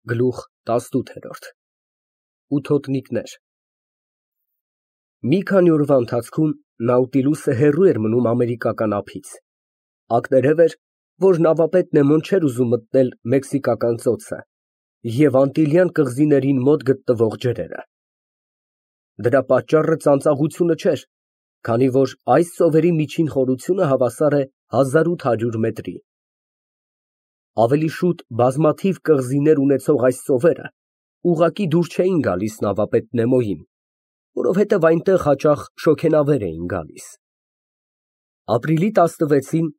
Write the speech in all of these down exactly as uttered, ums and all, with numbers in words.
Գլուխ տասնութ։ Ութոտնիկներ Մի քանի օրվա ընթացքում Նաուտիլուսը հեռու էր մնում ամերիկական ափից, ակներև էր, որ նավապետ Նեմոն չէր ուզում մտնել Մեքսիկական ծոցը և Անտիլյան կղզիներին մոտ գտնվող ջրերը։ Դրա պատճառը ծանծաղությունը չէր, քանի որ այս ծովերի միջին խորությունը հավասար է հազար ութ հարյուր մետրի։ Ավելի շուտ բազմաթիվ կղզիներ ունեցող այս ծովերը ուղղակի դուր չէին գալիս նավապետ Նեմոյին, որովհետև այնտեղ հաճախ շոգենավեր էին գալիս։ Ապրիլի տասնվեցին,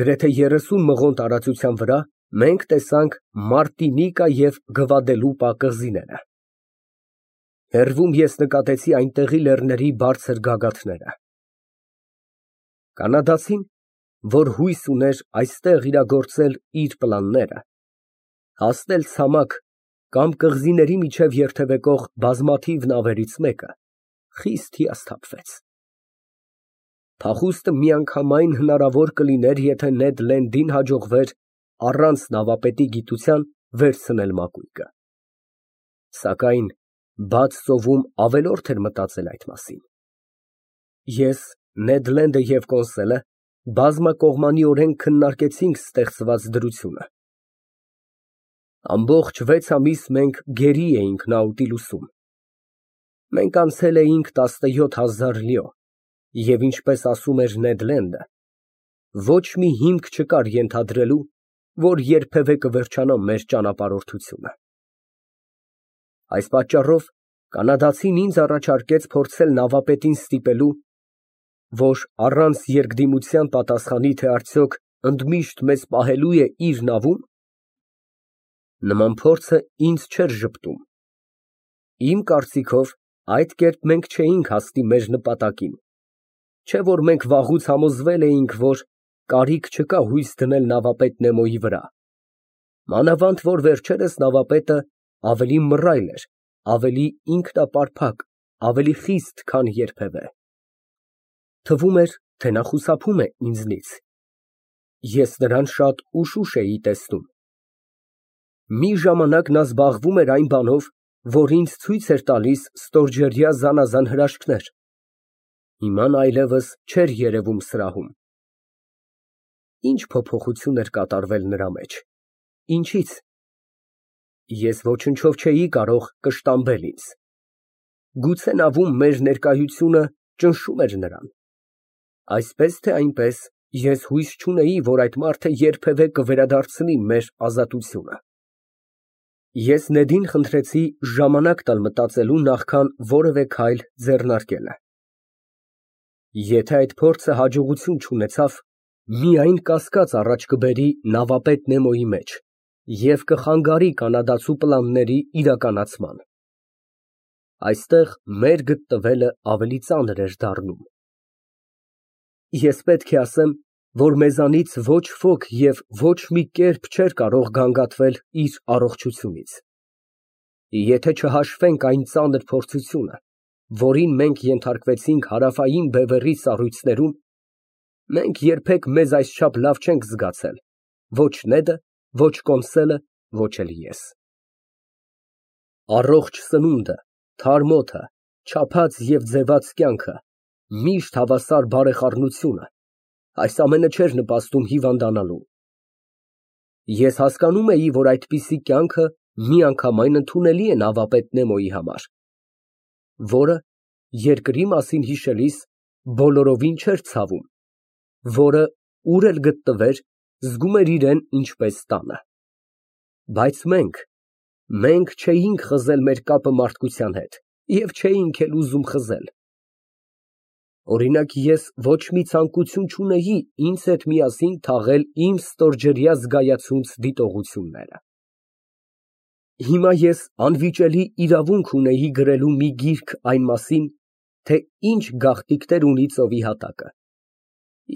գրեթե երեսուն մղոն տարածության վրա, մենք տեսանք Մարտինիկա և Գվադելուպա կղզիները։ Հեռվում ես նկատեցի այնտեղի լեռների բարձր գագաթները։ Կանադացին, որ հույս ուներ այստեղ իրագործել իր պլանները, հասնել ցամաք կամ կղզիների միջև երթևեկող բազմաթիվ նավերից մեկը, խիստ հիասթափվեց։ Փախուստը միանգամայն հնարավոր կլիներ, եթե Նեդ Լենդին հաջողվեր առանց նավապետի գիտության վերցնել մակույկը։ Սակայն բաց ծովում ավելորդ էր մտածել այդ մասին։ Ես, Նեդ Լենդը և Կոնսելը բազմակողմանիորեն քննարկեցինք ստեղծված դրությունը։ Ամբողջ վեց ամիս մենք գերի էինք Նաուտիլուսում։ Մենք անցել էինք տասնյոթ հազար լյո, և ինչպես ասում էր Նեդ Լենդը, ոչ մի հիմք չկար ենթադրելու, որ երբևէ կվերջանա մեր ճանապարհորդությունը։ Այս պատճառով կանադացին ինձ առաջարկեց փորձել նավապետին ստիպելու, որ առանց երկդիմության պատասխանի, թե արդյոք ընդմիշտ մեզ պահելու է իր նավում։ Նման փորձը ինձ չէր ժպտում։ Իմ կարծիքով, այդ կերպ մենք չէինք հասնի մեր նպատակին, չէ որ մենք վաղուց համոզվել էինք, որ կարիք չկա հույս դնել նավապետ Նեմոյի վրա, մանավանդ որ վերջերս նավապետը ավելի մռայլ էր, ավելի ինքնապարփակ, ավելի խիստ, քան երբևէ։ Թվում էր, թե նա խուսափում է ինձնից։ Ես նրան շատ ուշուշ էի տեսնում։ Մի ժամանակ նա զբաղվում էր այն բանով, որ ինձ ցույց էր տալիս ստորջրյա զանազան հրաշքներ, հիմա նա այլևս չէր երևում սրահում։ Ինչ փոփոխություն էր կատարվել նրա մեջ, ինչի՞ց։ Ես ոչնչով չէի կարող կշտամբել ինձ։ Գուցե նավում մեր ներկայությունը ճնշում էր նրան։ Այսպես թե այնպես, ես հույս չունեի, որ այդ մարդը երբևէ կվերադարձնի մեր ազատությունը։ Ես Նեդին խնդրեցի ժամանակ տալ մտածելու, նախքան որևէ քայլ ձեռնարկելը։ Եթե այդ փորձը հաջողություն չունեցավ, միայն կասկած առաջ կբերի նավապետ Նեմոյի մեջ և կխանգարի կանադացու պլանների իրականացման։ Այստեղ մեր գտնվելը ավելի ծանր էր դառնում։ Ես պետք է ասեմ, որ մեզանից ոչ ոք և ոչ մի կերպ չէր կարող գանգատվել իր առողջությունից։ Եթե չհաշվենք այն ծանր փորձությունը, որին մենք ենթարկվեցինք Հարավային Բևեռի սառույցներում, մենք երբեք մեզ այսչափ լավ չենք զգացել, ոչ Նեդը, ոչ Կոնսելը, ոչ էլ ես։ Առողջ սնունդը, թարմ օդը, չափած և ձևած կյանքը, միշտ հավասար բարեխառնությունը, այս ամենը չէր նպաստում հիվանդանալու։ Ես հասկանում էի, որ այդպիսի կյանքը միանգամայն ընդունելի է նավապետ Նեմոյի համար, որը, երկրի մասին հիշելիս, բոլորովին չէր ցավում, որը, ուր էլ գտնվեր, զգում էր իրեն ինչպես տանը։ Բայց մենք, մենք չէինք խզել մեր կապը մարդկության հետ և չէինք էլ ուզում խզել։ Օրինակ, ես ոչ մի ցանկություն չունեի ինձ հետ միասին թաղել իմ ստորջրյա զգայացունց դիտողությունները։ Հիմա ես անվիճելի իրավունք ունեի գրելու մի գիրք այն մասին, թե ինչ գաղտնիքներ ունի ծովի հատակը,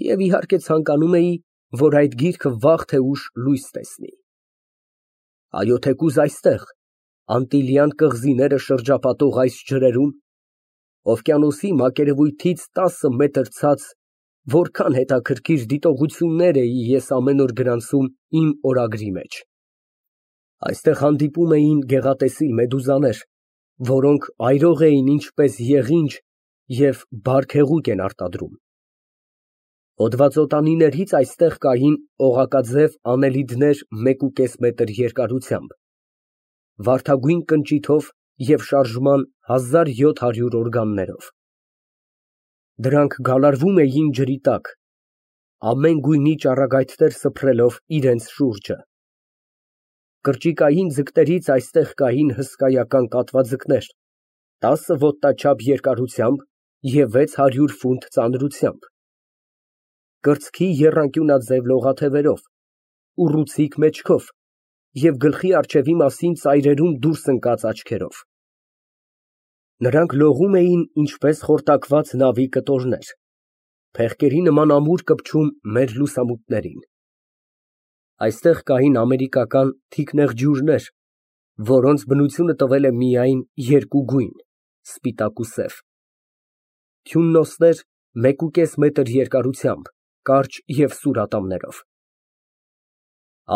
և իհարկե ցանկանում էի, որ այդ գիրքը վաղ թե ուշ լույս տեսնի։ Այո, թեկուզ այստեղ, Անտիլյան կղզիները շրջապատող այս ջրերում, օվկիանոսի մակերևույթից տասը մետր ցած, որքան հետաքրքիր դիտողություններ էի ես ամեն օր գրանցում իմ օրագրի մեջ։ Այստեղ հանդիպում էին գեղատեսիլ մեդուզաներ, որոնք այրող էին ինչպես եղինջ և բարք հեղուկ են արտադրում։ Հոդվածոտանիներից այստեղ կային օղակաձև անելիդներ մեկուկես մետր երկարությամբ, վարդագույն կնճիթով և շարժման հազար յոթ հարյուր օրգաններով։ Դրանք գալարվում էին ջրի տակ, ամեն գույնի ճառագայթներ սփռելով իրենց շուրջը։ Կրճիկային ձկներից այստեղ կային հսկայական կատվաձկներ, տասը ոտնաչափ երկարությամբ և վեց հարյուր ֆունտ ծանրությամբ, կրծքի եռանկյունաձև լողաթևերով, ուռուցիկ մեջքով և գլխի առջևի մասին ծայրերում դուրս ընկած աչքերով։ Նրանք լողում էին ինչպես խորտակված նավի կտորներ, փեղկերի նման ամուր կպչում մեր լուսամուտներին։ Այստեղ կային ամերիկական թիկնեղջյուրներ, որոնց բնությունը տվել է միայն երկու գույն՝ սպիտակ ու սև, թյուննոսներ մեկուկես մետր երկարությամբ, կարճ և սուր ատամներով։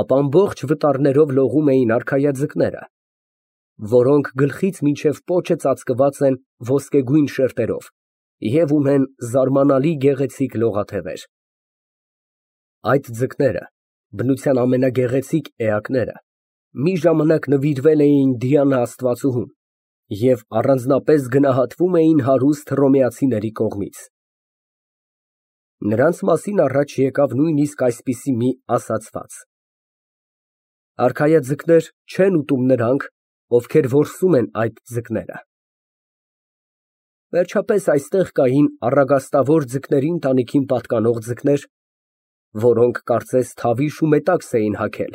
Ապա ամբողջ վտարներով լողում էին արքայաձկները, որոնք գլխից մինչև պոչը ծածկված են ոսկեգույն շերտերով և ունեն զարմանալի գեղեցիկ լողաթևեր։ Այդ ձկները, բնության ամենագեղեցիկ էակները, մի ժամանակ նվիրվել էին Դիանա աստվածուհուն և առանձնապես գնահատվում էին հարուստ հռոմեացիների կողմից։ Նրանց մասին առաջ եկավ նույնիսկ այսպիսի մի ասացված. «Արքայաձկներ չեն ուտում նրանք, ովքեր որսում են այդ ձկները»։ Վերջապես այստեղ կային առագաստավոր ձկների ընտանիքին պատկանող ձկներ, որոնք կարծես թավիշ ու մետաքս էին հագել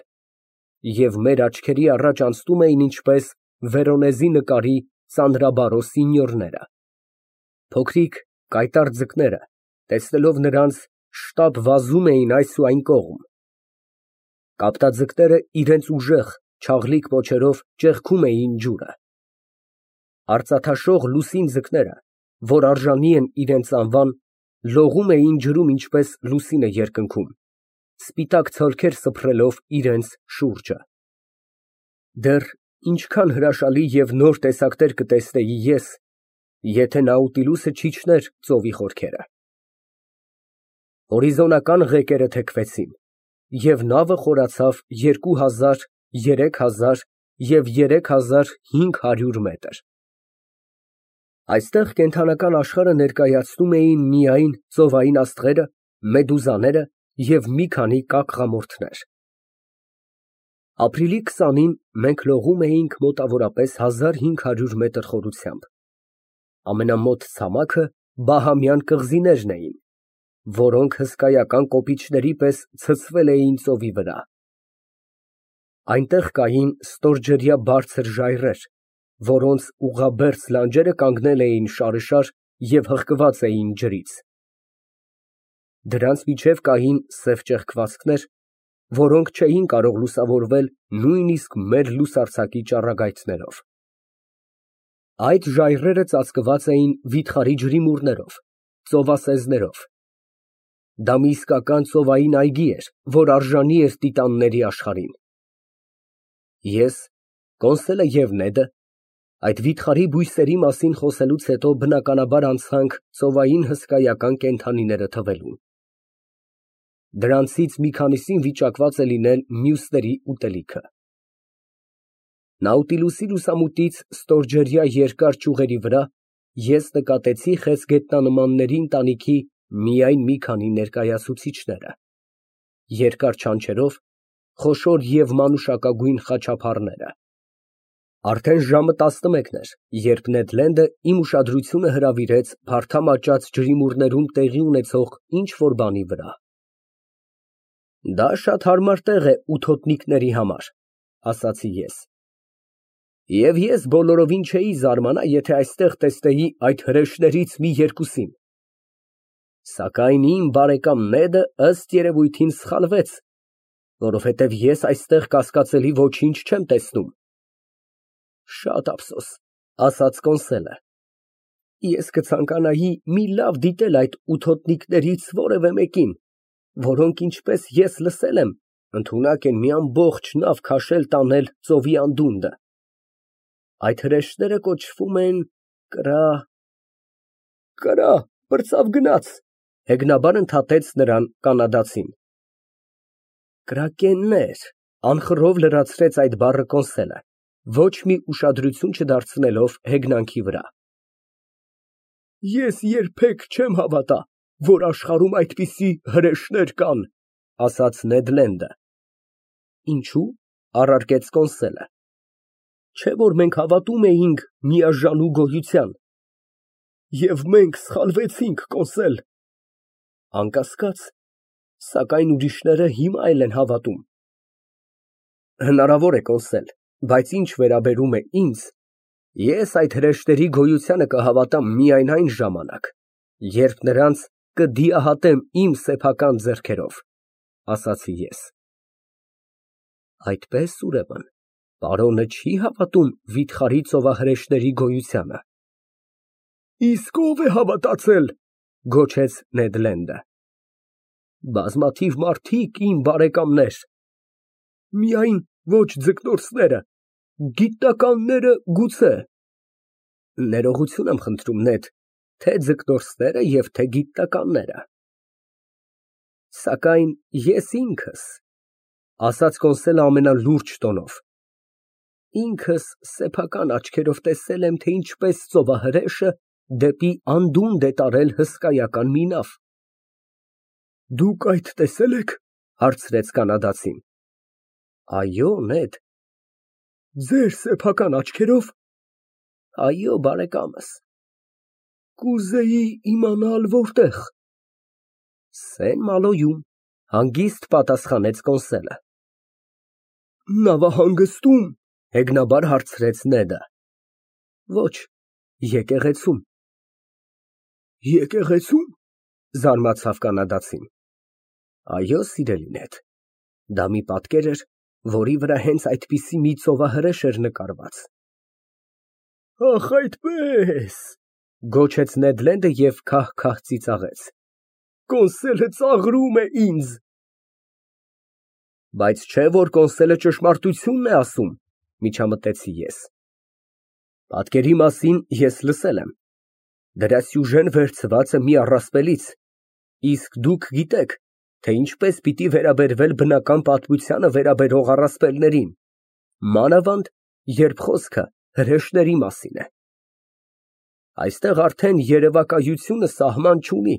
և մեր աչքերի առաջ անցնում էին ինչպես Վերոնեզի նկարի ծանրաբարո սինьորները։ Փոքրիկ կայտառ ձկները, տեսնելով նրանց, շտապ վազում էին այս ու այն կողմ։ Կապտաձկները իրենց ուժեղ, չաղլիկ պոչերով ճեղքում էին ջուրը։ Արծաթաշող լուսին ձկները, որ արժանի են իրենց անվան, լողում էին ջրում ինչպես լուսինը երկնքում, սպիտակ ցոլքեր սփռելով իրենց շուրջը։ Դեռ ինչքան հրաշալի և նոր տեսակներ կտեսնեի ես, եթե Նաուտիլուսը չիջներ ծովի խորքերը։ Հորիզոնական ղեկերը թեքվեցին, և նավը խորացավ երկու հազար, երեք հազար և երեք հազար հինգ հարյուր մետր։ Այստեղ կենդանական աշխարհը ներկայացնում էին միայն ծովային աստղերը, մեդուզաները և մի քանի կակղամորթներ։ Ապրիլի քսանին մենք լողում էինք մոտավորապես հազար հինգ հարյուր մետր խորությամբ։ Ամենամոտ ցամաքը բահամյան կղզիներն էին, որոնք հսկայական կոպիչների պես ցցվել էին ծովի վրա։ Այնտեղ կային ստորջրյա բարձր ժայռեր, որոնց ուղղաբերձ լանջերը կանգնել էին շարշար և հղկված էին ջրից։ Դրանց միջև կային սև ճեղքվածքներ, որոնք չէին կարող լուսավորվել նույնիսկ մեր լուսարձակի ճառագայթներով։ Այդ ժայռերը ծածկված էին վիթխարի ջրիմուռներով, ծովասեզներով։ Դա մի իսկական ծովային այգի էր, որ արժանի էր տիտանների աշխարհին։ Ես, Կոնսելը և Նեդը այդ վիթխարի բույսերի մասին խոսելուց հետո բնականաբար անցանք ծովային հսկայական կենդանիները թվելուն։ Դրանցից մի քանիսին վիճակված է լինել մյուսների ուտելիքը։ Նաուտիլուսի լուսամուտից ստորջրյա երկար ճյուղերի վրա ես նկատեցի խեցգետնանմանների ընտանիքի միայն մի քանի ներկայացուցիչները, երկար չանչերով, խոշոր և մանուշակագույն խաչափառները։ Արդեն ժամը տասնմեկն էր, երբ Նեդ Լենդը իմ ուշադրությունը հրավիրեց փարթամ աճած ջրիմուռներում տեղի ունեցող ինչ֊որ բանի վրա։ «Դա շատ հարմար տեղ է ութոտնիկների համար», ֊ ասացի ես։ Եվ ես բոլորովին չէի զարմանա, եթե այստեղ տեսնեի այդ հրեշներից մի երկուսին։ Սակայն իմ բարեկամ Նեդը, ըստ երևույթին, սխալվեց, որովհետև ես այստեղ կասկածելի ոչինչ չեմ տեսնում։ Շատ ափսոս, ֊ ասաց Կոնսելը։ Ես կցանկանայի մի լավ դիտել այդ ութոտնիկներից որևէ մեկին, որոնք, ինչպես ես լսել եմ, ընդունակ են մի ամբողջ նավ քաշել տանել ծովի անդունդը։ Այդ հրեշտները կոչվում են կրա… Կրա, պրծավ գնաց, հեգնաբար ընդհատեց նրան կանադացին։ Կրակեններ, անխռով լրացրեց այդ բառը Կոնսելը, ոչ մի ուշադրություն չդարձնելով հեգնանքի վրա։ Ես երբեք չեմ հավատա, որ աշխարհում այդպիսի հրեշներ կան, ասաց Նեդ Լենդը։ Ինչու՞, առարկեց Կոնսելը։ Չէ՞ որ մենք հավատում էինք միաժանու գոյության։ Եվ մենք սխալվեցինք, Կոնսել։ Անկասկած, սակայն ուրիշները հիմա էլ են հավատում։ Հնարավոր է, Կոնսել, բայց ինչ վերաբերում է ինձ, ես այդ հրեշտերի գոյությանը կհավատամ միայն այն ժամանակ, երբ նրանց կդիահատեմ իմ սեփական ձեռքերով, ասացի ես։ Այդպես, ուրեմն, պարոնը չի հավատում վիթխարի ծովահրեշտների գոյությանը։ Իսկ ո՞վ է հավատացել, գոչեց Նեդ Լենդը։ Բազմաթիվ մարդիկ, իմ բարեկամներ, միայն ոչ ձկնորսները, գիտնականները գուցե։ Ներողություն եմ խնդրում, Նեդ, թե ձկնորսները և թե գիտնականները։ Սակայն ես ինքս, ասաց Կոնսելը ամենալուրջ տոնով, ինքս սեփական աչքերով տեսել եմ, թե ինչպես ծովահրեշը դեպի անդունդ է տարել հսկայական մի նավ։ Դուք այդ տեսե՞լ եք, հարցրեց կանադացին։ Այո, Նեդ։ Ձեր սեփական աչքերով։ Այո, բարեկամս։ Կուզեի իմանալ որտեղ։ Սեն֊Մալոյում, հանգիստ պատասխանեց Կոնսելը։ Նավահանգստու՞մ, հեգնաբար հարցրեց Նեդը։ Ոչ, եկեղեցում։ Եկեղեցու՞մ, զարմացավ կանադացին։ Այո, սիրելի Նեդ, դա մի պատկեր էր, որի վրա հենց այդպիսի մի ծովահրեշ էր նկարված։ Ախ, այդպես, գոչեց Նեդ Լենդը և քահ֊քահ ծիծաղեց։ Կոնսելը ծաղրում է ինձ։ Բայց չէ՞ որ Կոնսելը ճշմարտությունն է ասում, միջամտեցի ես։ Պատկերի մասին ես լսել եմ։ Դրա սյուժեն վերցված է մի առասպելից, իսկ դուք գիտեք, թե ինչպես պիտի վերաբերվել բնական պատմությանը վերաբերող առասպելներին, մանավանդ, երբ խոսքը հրեշների մասին է։ Այստեղ արդեն երևակայությունը սահման չունի։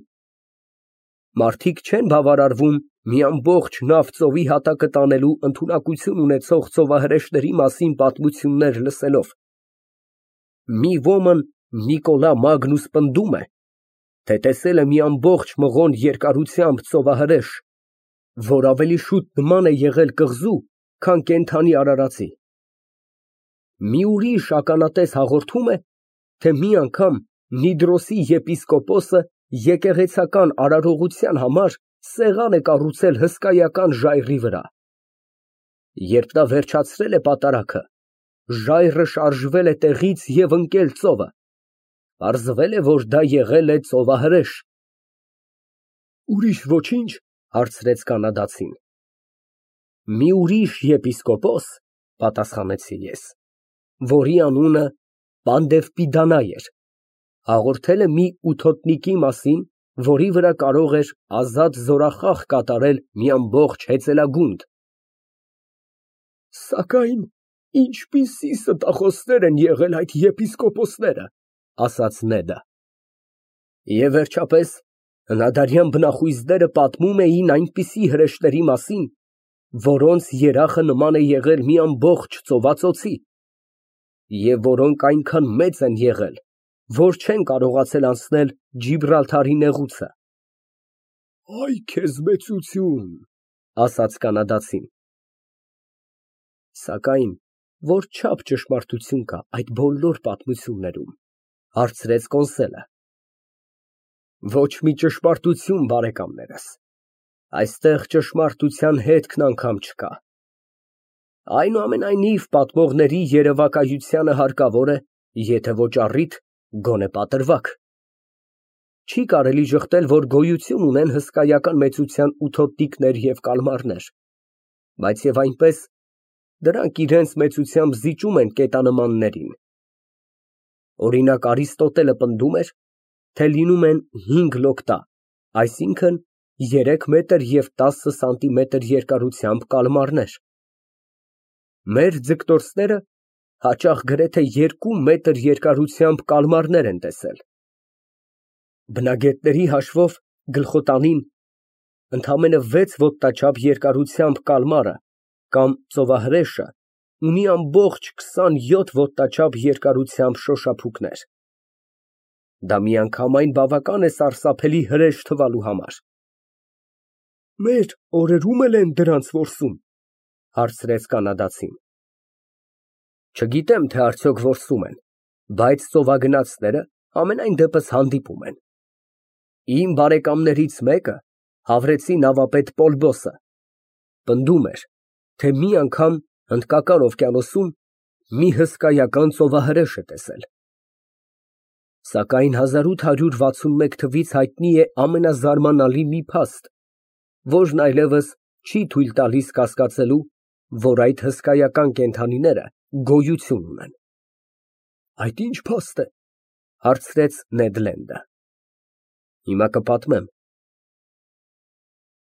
Մարդիկ չեն բավարարվում մի ամբողջ նավ ծովի հատակը տանելու ընդունակություն ունեցող ծովահրեշների մասին պատմություններ լսելով։ Մի ոմն Նիկոլա Մագնուս պնդում է, թե տեսել է մի ամբողջ մղոն երկարությամբ ծովահրեշ, որ ավելի շուտ նման է եղել կղզու, քան կենդանի արարածի։ Մի ուրիշ ականատես հաղորդում է, թե մի անգամ Նիդրոսի եպիսկոպոսը եկեղեցական արարողության համար սեղան է կառուցել հսկայական ժայռի վրա։ Երբ նա վերջացրել է պատարագը, ժայռը շարժվել է տեղից և ընկել ծովը։ Պարզվել է, որ դա եղել է ծովահրեշ։ Ուրիշ ոչինչ, հարցրեց կանադացին։ Մի ուրիշ եպիսկոպոս, պատասխանեցի ես, որի անունը Պանդևպիդանա էր, հաղորդել է մի ութոտնիկի մասին, որի վրա կարող էր ազատ զորախախ կատարել մի ամբողջ հեծելագունդ։ Սակայն ինչպիսի ստախոսներ են եղել այդ եպիսկոպոսները, ասաց Նեդը։ Եվ վերջապես, հնադարյան բնախույզները պատմում էին այնպիսի հրեշների մասին, որոնց երախը նման է եղել մի ամբողջ ծովածոցի, և որոնք այնքան մեծ են եղել, որ չեն կարողացել անցնել Ջիբրալթարի նեղուցը։ Այ քեզ մեծություն, ասաց կանադացին։ Սակայն որչափ ճշմարտություն կա այդ բոլոր պատմություններում, հարցրեց Կոնսելը։ Ոչ մի ճշմարտություն, բարեկամներս, այստեղ ճշմարտության հետքն անգամ չկա։ Այնուամենայնիվ, պատմողների երևակայությանը հարկավոր է, եթե ոչ առիթ, գոնե պատրվակ։ Չի կարելի ժխտել, որ գոյություն ունեն հսկայական մեծության ութոտնիկներ և կալմարներ։ Բայց եւ այնպես դրանք իրենց մեծությամբ զիջում են կետանմաններին։ Օրինակ Արիստոտելը պնդում էր, թե լինում են հինգ լոկտա, այսինքն երեք մետր և տասը սանտիմետր երկարությամբ կալմարներ։ Մեր ձգտորսները հաճախ գրեթե երկու մետր երկարությամբ կալմարներ են տեսել։ Բնագետների հաշվով գլխոտանին ընդամենը վեց ոտնաչափ երկարությամբ կալմարը կամ ծովահրեշը ունի ամբողջ քսանյոթ ոտնաչափ երկարությամբ շոշափուկներ։ Դա միանգամայն բավական է սարսափելի հրեշ թվալու համար։ Մեր օրերում էլ են դրանց որսում, հարցրեց կանադացին։ Չգիտեմ, թե արդյոք որսում են, բայց ծովագնացները համենայն դեպս հանդիպում են։ Իմ բարեկամներից մեկը, հավրեցի նավապետ Պոլբոսը, պնդում էր, թե մի անգամ Հնդկական օվկիանոսում մի հսկայական ծովահրեշ է տեսել։ Սակայն հազար ութ հարյուր վաթսունմեկ թվից հայտնի է ամենազարմանալի մի փաստ, որն այլևս չի թույլ տալիս կասկածելու, որ այդ հսկայական կենդանիները գոյություն ունեն։ Այդ ի՞նչ փաստ է, հարցրեց Նեդ Լենդը։ Հիմա կպատմեմ,